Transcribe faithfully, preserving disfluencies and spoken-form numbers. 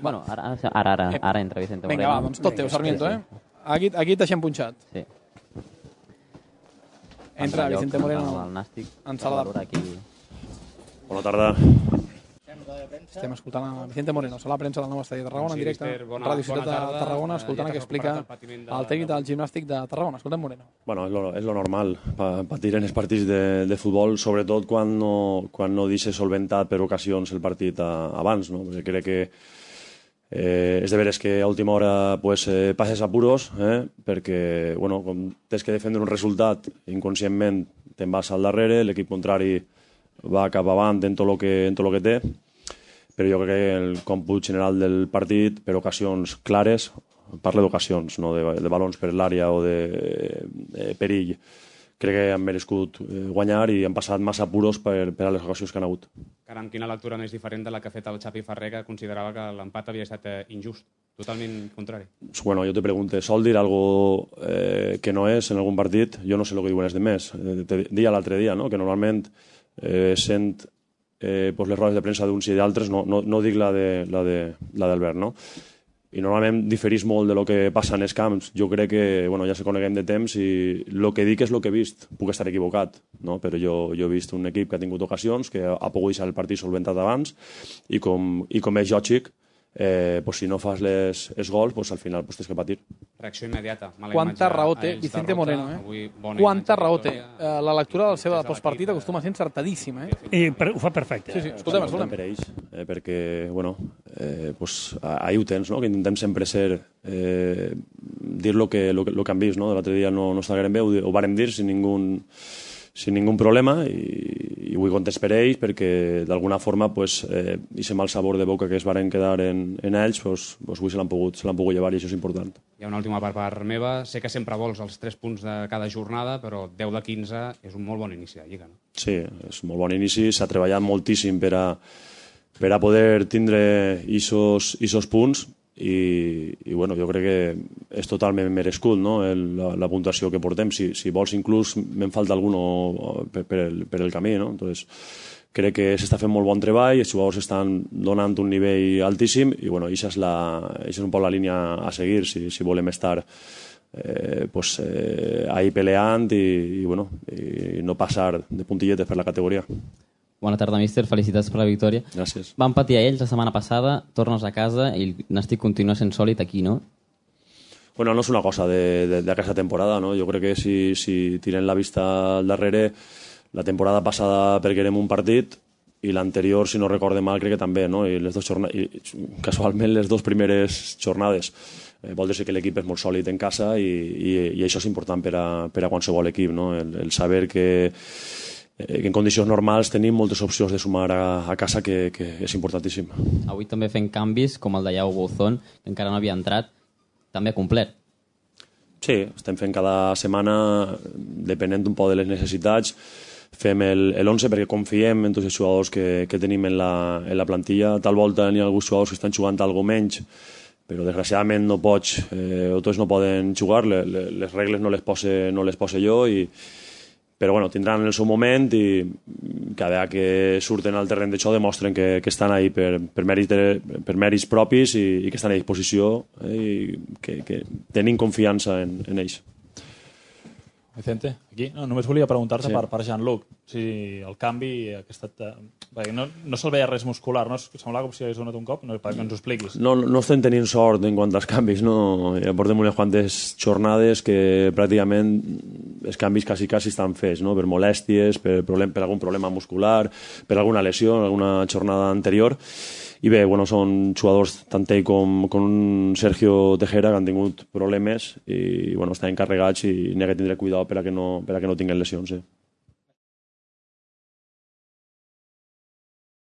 Bueno, ara, ara, ara, ara entra Vicente Moreno. Vinga, va, doncs tot teu, Sarmiento, eh? Aquí, aquí t'haixem punxat. Sí. Entra Vicente Moreno el Nàstic. en sala de... Aquí. Bona tarda. Estem escoltant a Vicente Moreno, sala de premsa del nou estadi de Tarragona, en directe, Ràdio Ciutat de Tarragona, escoltant el que explica el tècnic del gimnàstic de Tarragona. Escoltem Moreno. Bueno, és lo, és lo normal, pa, patir en els partits de, de futbol, sobretot quan no, quan no deixes solventat per ocasions el partit a, abans, no? Perquè crec que eh, és de veres que a última hora pues, eh, passes apuros, eh? perquè bueno, com tens que defendre un resultat, inconscientment te'n vas al darrere, l'equip contrari va cap avant en tot el que, en tot lo que té, però jo crec que el còmput general del partit, per ocasions clares, parla d'ocasions, no de, de balons per l'àrea o de, de perill, crec que han merescut guanyar i han passat massa apuros per, per a les ocasions que han hagut. Caram, quina lectura més diferent de la que ha fet el Xavi Ferrer, que considerava que l'empat havia estat injust, totalment contrari. Bueno, jo te pregunto, ¿sol dir algo eh, que no és en algun partit? Jo no sé el que diuen els demés. Eh, te deia l'altre dia, no? Que normalment eh, sent eh, pues les rodes de premsa d'uns i d'altres, no, no, no dic la de la de, la d'Albert, no? I normalment diferís molt de lo que passa en els camps. Jo crec que, bueno, ja se coneguem de temps i el que dic és el que he vist. Puc estar equivocat, no? Però jo, jo he vist un equip que ha tingut ocasions, que ha pogut deixar el partit solventat abans i com, i com és lògic, eh, pues si no fas les, els gols, pues al final pues tens que patir. Reacció immediata. Quanta raó té Vicente Moreno, eh? Quanta raó té. Uh, la lectura del seu postpartit acostuma a ser encertadíssima, eh? I per, ho fa perfecte. Sí, sí, escoltem, escoltem. Per ells, eh, perquè, bueno, eh, pues, ahí ho tens, no? Que intentem sempre ser, eh, dir lo que, lo, lo que han vist, no? L'altre dia no, no estava bé, ho, ho vàrem dir sin ningú, sin ningú problema i, i vull contents per ells perquè d'alguna forma pues, eh, aquest mal sabor de boca que es varen quedar en, en ells pues, pues avui se l'han pogut, se l'han pogut llevar i això és important. Hi ha una última part per meva. Sé que sempre vols els tres punts de cada jornada, però deu de quinze és un molt bon inici de Lliga. No? Sí, és un molt bon inici. S'ha treballat moltíssim per a, per a poder tindre aquests punts i, i bueno, jo crec que és totalment merescut, no? el, la, la puntuació que portem. Si, si vols inclús me'n falta algun per, per, el, per el camí, no? Entonces, crec que s'està fent molt bon treball, els jugadors estan donant un nivell altíssim i bueno, això és, la, això és un poc la línia a seguir si, si volem estar eh, pues, eh, ahí peleant i, i, bueno, i no passar de puntilletes per la categoria. Bona tarda, míster. Felicitats per la victòria. Gràcies. Van patir a ells la setmana passada, tornes a casa i el Nàstic continua sent sòlid aquí, no? Bueno, no és una cosa d'aquesta temporada, no? Jo crec que si, si tirem la vista al darrere, la temporada passada perguerem un partit i l'anterior, si no recorde mal, crec que també, no? I les dos jornades, i casualment les dues primeres jornades. Eh, vol dir que l'equip és molt sòlid en casa i, i, i això és important per a, per a qualsevol equip, no? El, el saber que que en condicions normals tenim moltes opcions de sumar a, a casa que, que és importantíssim. Avui també fent canvis, com el de Iago Bouzón, que encara no havia entrat, també complet. Sí, estem fent cada setmana, depenent un poc de les necessitats, fem l'onze perquè confiem en tots els jugadors que, que tenim en la, en la plantilla. Tal volta n'hi ha alguns jugadors que estan jugant algo menys, però desgraciadament no pots, eh, o tots no poden jugar, les, les regles no les pose, no les pose jo i però bueno, tindran el seu moment i cada vegada que surten al terreny d'això demostren que, que estan ahí per, per, mèrits, per mèrits propis i, i que estan a disposició eh, i que, que tenim confiança en, en ells. Vicente, aquí no, només volia preguntar-te sí. per, per Jean-Luc si el canvi ha estat... Perquè no, no se'l veia res muscular, no? Semblava com si hagués donat un cop, no, perquè ens ho expliquis. No, no estem tenint sort en quant als canvis, no? Ja portem unes quantes jornades que pràcticament els canvis quasi, quasi estan fets, no? Per molèsties, per, problem, per algun problema muscular, per alguna lesió, alguna jornada anterior. I bé, bueno, són jugadors tant ell com, com un Sergio Tejera que han tingut problemes i bueno, estan encarregats i n'hi ha que tindre cuidado per a que no, per a que no tinguin lesions. Eh?